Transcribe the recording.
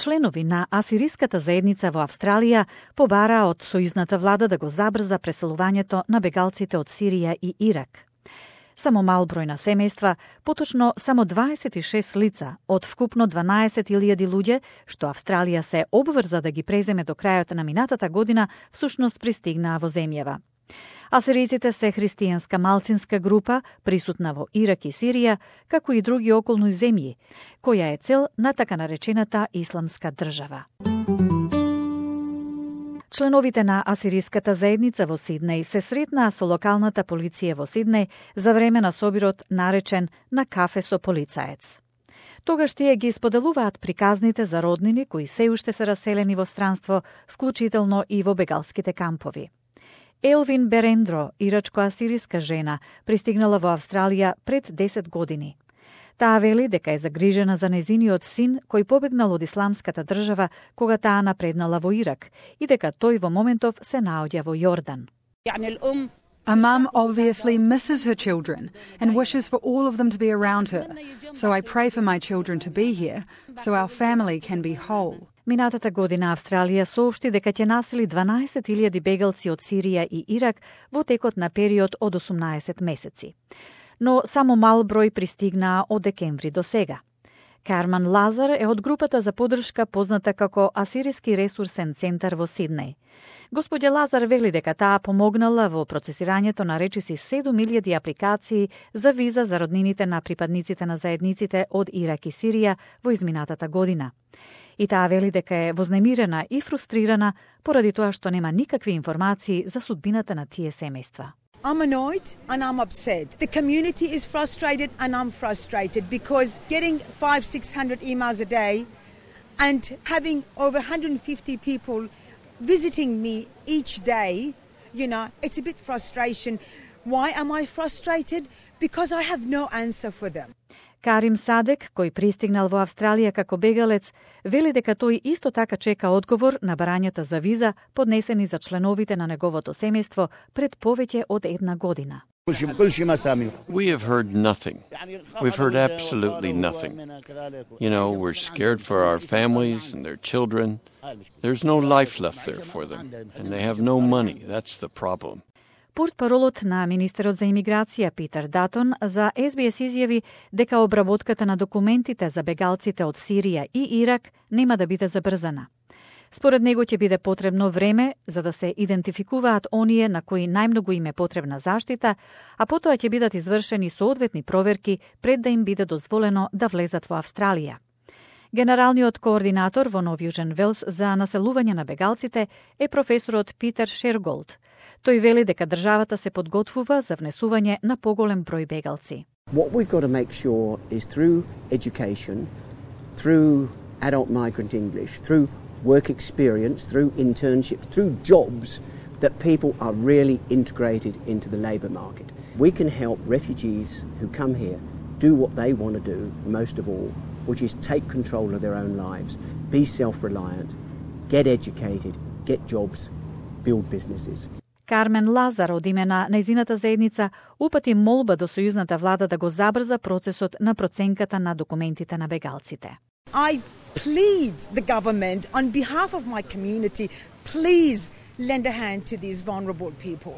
членови на асириската заедница во Австралија побараа од сојузната влада да го забрза преселувањето на бегалците од Сирија и Ирак. Само мал број на семејства, поточно само 26 лица од вкупно 12.000 луѓе, што Австралија се обврза да ги преземе до крајот на минатата година, всушност пристигнаа во земјава. Асириците се христијанска малцинска група, присутна во Ирак и Сирија, како и други околни земји, која е цел на така наречената исламска држава. Членовите на асириската заедница во Сиднеј се сретнаа со локалната полиција во Сиднеј за време на собирот наречен на кафе со полицаец. Тогаш тие ги споделуваат приказните за роднини кои се уште се раселени во странство, вклучително и во бегалските кампови. Елвин Берендро, ирачко-асириска жена, пристигнала во Австралија пред 10 години. Таа вели дека е загрижена за незиниот син кој побегнал од исламската држава кога таа напреднала во Ирак и дека тој во моментов се наоѓа во Јордан. A mum obviously misses her children and wishes for all of them to be around her. So I pray for my children to be here so our family can be whole. Минатата година Австралија соопшти дека ќе насели 12.000 бегалци од Сирија и Ирак во текот на период од 18 месеци. Но само мал број пристигнаа од декември до сега. Карман Лазар е од групата за поддршка позната како Асириски ресурсен центар во Сиднеј. Господја Лазар вели дека таа помогнала во процесирањето на речиси 7.000 апликации за виза за роднините на припадниците на заедниците од Ирак и Сирија во изминатата година. И таа вели дека е вознемирена и фрустрирана поради тоа што нема никакви информации за судбината на тие семејства. I'm annoyed and I'm upset. The community is frustrated and I'm frustrated because getting 500-600 emails a day and having over 150 people visiting me each day, it's a bit frustration. Why am I frustrated? Because I have no answer for them. Карим Садек, кој пристигнал во Австралија како бегалец, вели дека тој исто така чека одговор на барањата за виза поднесени за членовите на неговото семејство пред повеќе од една година. We have heard nothing. We've heard absolutely nothing. We're scared for our families and their children. There's no life left there for them, and they have no money. That's the problem. Портпаролот на Министерот за имиграција Питер Датон за СБС изјави дека обработката на документите за бегалците од Сирија и Ирак нема да биде забрзана. Според него ќе биде потребно време за да се идентификуваат оние на кои најмногу им е потребна заштита, а потоа ќе бидат извршени соодветни проверки пред да им биде дозволено да влезат во Австралија. Генералниот координатор во Нов Јужен Велс за населување на бегалците е професорот Питер Шерголд. Тој вели дека државата се подготвува за внесување на поголем број бегалци. What we've got to make sure is through education, through adult migrant English, through work experience, through internships, through jobs, that people are really integrated into the labour market. We can help refugees who come here do what they want to do, most of all, which is take control of their own lives, be self-reliant, get educated, get jobs, build businesses. Кармен Лазар од име на нејзината заедница упати молба до сојузната влада да го забрза процесот на проценката на документите на бегалците. I plead the government on behalf of my community, please lend a hand to these vulnerable people.